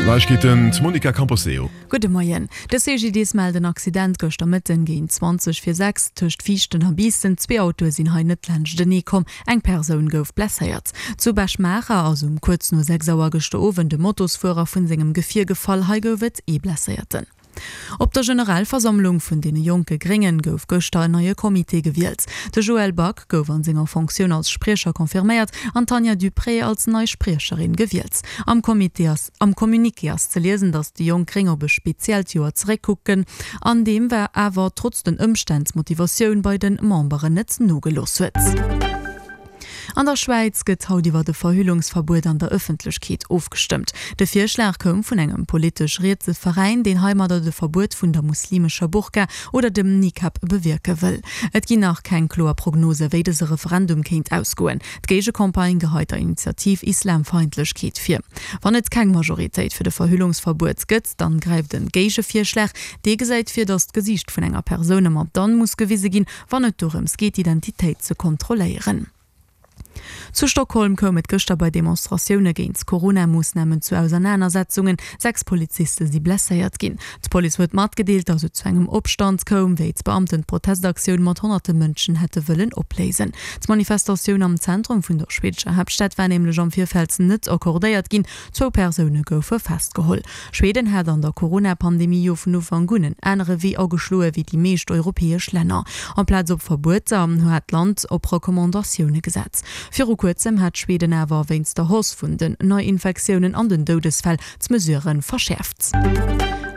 Neiegkeeten, d'Monica Camposeo. Gudde Moien. De CGDIS mellt en Accident gëschter Mëtten géint 20 vir 6 tëscht Viichten a Biissen. Zwee Autoe sinn hei net laanschtenee komm, eng Persoun gouf blesséiert. Zu Bech-Maacher ass um kuerz no 6 Auer gëschter Owend e Motosfuerer vun sengem Gefier gefall. Hei gouf et ee Blesséierten. Op der Generalversammlung vun deene jonke Gréngen gouf gëschter en neie Comité gewielt. De Joël Back gouf an senger Fonctioun als Spriecher confirméiert an d'Tanja Duprez als nei Spriecherin gewielt. Am Comité ass am Communiqué ass ze liesen, datt déi jonk Gréng op e speziellt Joer zeréckkucken, an deem war awer trotz den Ëmstänn d'Motivatioun bei de Memberen net nogelooss huet. An der Schwäiz gëtt haut iwwer e Verhüllungsverbuet an der Ëffentlechkeet ofgestëmmt. De Virschlag koum vun engem politesch rietse Veräin, deen heimadder de Verbuet vun der muslimescher Burka oder dem Nikab bewierke wëll. Et ginn nach keng kloer Prognose wéi dëse Referendum kéint ausgoen. D'Géigecampagne geheit der Initiativ Islamfeindlechkeet vir. Wann et keng Majoritéit fir de Verhüllungsverbuet gëtt, dann gräift en Géigevirschlag. Dee gesäit vir, datt d'Gesiicht vun enger Persoun ëmmer dann muss gewise ginn, wann et dorëms geet, d'Identitéit ze kontrolléieren. Zu Stockholm koum et gëschter bei Demonstratioune géint d'Corona-Moossnamen zu Ausernanersetzungen. 6 Poliziste si blesséiert ginn. D'Police huet matgedeelt, datt et zu engem Opstand koum, wéi d'Beamten d'Protestaktioun mat honnerte Mënschen hätte wëllen opléisen. D'Manifestatioun am Zentrum vun der schweedescher Haaptstad war nämlech am Virfeld net accordéiert ginn. Zwou Persoune goufe festgeholl. Schweden hat an der Corona-Pandemie jo vun Ufank un en anere Wee ageschloe wéi déi meescht europäesch Länner. Amplaz op Verbueter hat d'Land op Recommandatioune gesat. Viru kuerzem hat Schweden awer wéinst der Hausse vun den Neiinfektiounen an den Doudesfäll d'Mesurë verschäerft.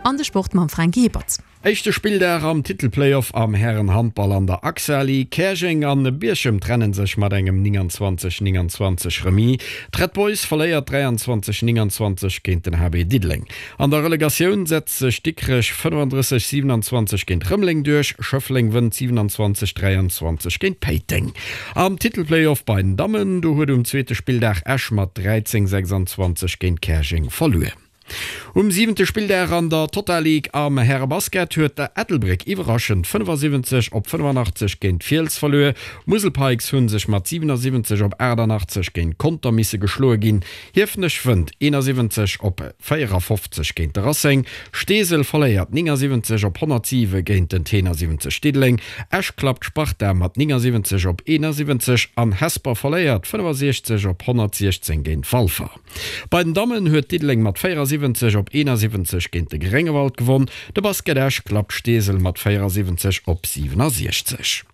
An de Sport mam Fränki Hippert. Éischte Spilldag am Titelplayoff am Härenhandball an der AXA Ligue. Käerjeng an Bierchem trennen sech mat engem 29, 29 Remis. D'Red Boys verléiert 23, 29 géint den HB Diddeleng. An der Relegatioun setzt sech Dikrech 35, 27 géint Rëmeleng duerch. Schëffleng wënnt 27, 23 géint Péiteng. Am Titelplayoff bei den Dammen, do huet um zweete Spilldag Esch mat 13, 26 géint Käerjeng verluer. Um siwente Spilldag an der Total League am Härebasket huet Ettelbréck iwwerraschend 75 op 85 géint Fiels verluer. D'Musel Pikes hu sech mat 77 op 88 géint Conter misse geschloe ginn. Hiefenech wënnt 71 op 54 géint de Racing. Steesel verléiert 79 op 107 géint den Tenor 70 Diddeleng. Esch klappt d'Sparta mat 79 op 71 an Hesper verléiert 65 op 116 géint Walfer. Bei den Dammen huet Diddeleng mat 74 op 71 géint de Gréngewald gewonn. De Basket Esch klappt Steesel mat 74 op 67.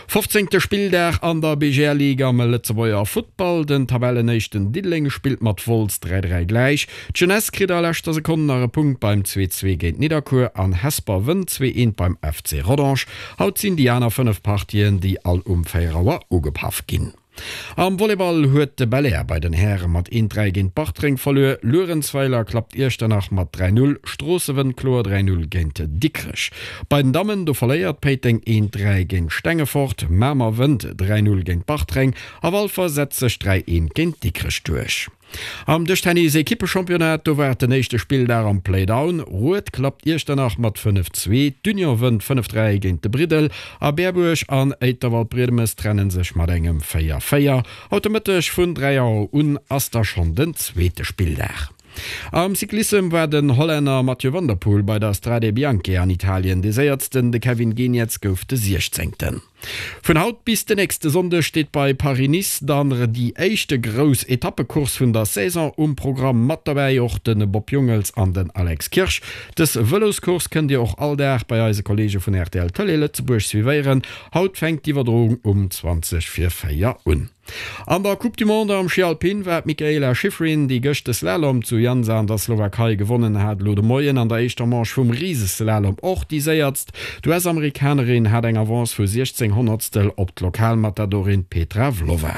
Fofzéngte Spilldag an der BGL Ligue am Lëtzebuerger Futtball. Den Tabellenéischten Diddeleng spillt mat Wolz 3, 3 gläich. D'Jeunesse kritt a leschter Sekonn nach e Punkt beim 2, 2 géint Nidderkuer an Hesper wënnt 2, 1 beim FC Rodange. Haut sinn déi aner 5 Partien, déi all um 4 Auer ugepaff ginn. Am Volleyball huet de Belair bei den Häre mat 1, 3 géint Bartreng verluer. Luerenzweiler klappt Iechternach mat 3, 0. Stroosse wënnt kloer 3, 0 géint Dikrech. Bei den Dammen, do verléiert Péiteng 1, 3 géint Stengefort. Mamer wënnt 3, 0 géint Bartreng a Walfer setzt sech 3, 1 géint Dikrech duerch. Am Dëschtennis-Ekippechampionnat, do war et den éischte Spilldag am Playdown. Rued klappt Iechternach mat 5, 2, d'Union wënnt 5, 3 géint de Briddel a Berbuerg an Éiterwald-Briedemes trenne sech mat engem 4, 4. Haut de Mëtteg vun 3 Auer un ass da schonn den zweete Spilldag. Am Cyclissem war den Hollänner Mathieu van der Poel bei der Strade Bianche an Italien dee Séiertsten, de Kevin Geniets gouf de Siechzéngten. Vun haut bis de nächste Sonndeg steet bei Paris-Nice dann déi éischte grouss Etappecourse vun der Saison um Programm. Mat dobäi och de Bob Jungels an den Alex Kirsch. Dës Vëloscourse kënnt Dir och all Dag bei eise Kolleege vun rtl Tëlee Lëtzebuerg suivéieren. Haut fänkt d'Iwwerdroung um 20 vir 4 un. An der Coupe du Monde am Schi Alpin war d'Mikaela Shiffrin, déi gëscht de Slalom zu Jansa an der Slowakei gewonnen hat, elo de Moien an der éischter Manche vum Riseslalom och déi séiertst. D'US-Amerikanerin hat eng Avance vu 16 Honnertstel op d'Lokalmatadorin Petra Vlhova.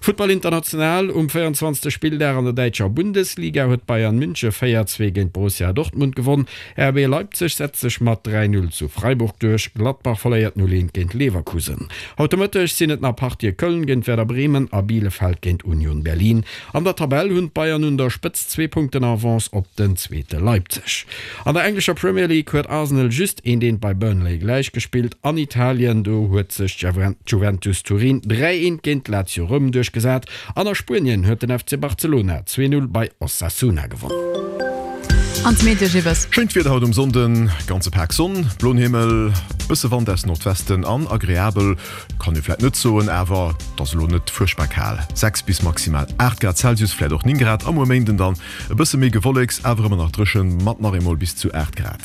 Futtball international, Um 24. Spilldag an der däitscher Bundesliga huet Bayern Münche 4, 2 géint Borussia Dortmund gewonn. RB Leipzig setzt sech mat 3, 0 zu Freiburg duerch, Gladbach verléiert 0, 1 géint Leverkusen. Haut de Mëtteg sinn et nach Partië Köln géint Werder Bremen a Bielefeld géint Union Berlin. An der Tabell hunn d'Bayern un der Spëtzt zwee Punkten Avance op den zweete Leipzig. An der englescher Premier League huet Arsenal just eent eent bei Burnley gläich gespillt. An Italien, do huet sech d'Juventus Turin 3, 1 géint Lazio Roum duerchgesat. An a Spuenien huet den FC Barcelona 2, 0 bei Osasuna gewonn. An d'Meteogibbes. Schéint Wieder haut um Sonnden, ganze Pak Sonn, bloen Himmel, bësse Wand aus Nordwesten an agreabel kann ee vläit net soen, awer et ass elo net fuerchtbar kal, 6 bis maximal 8 Grad Celsius, vläit och 9 Grad. A muer Méinden dann e bësse méi Gewolleks, awer ëmmer nach dréchen, mat nach eemol bis zu 8 Grad.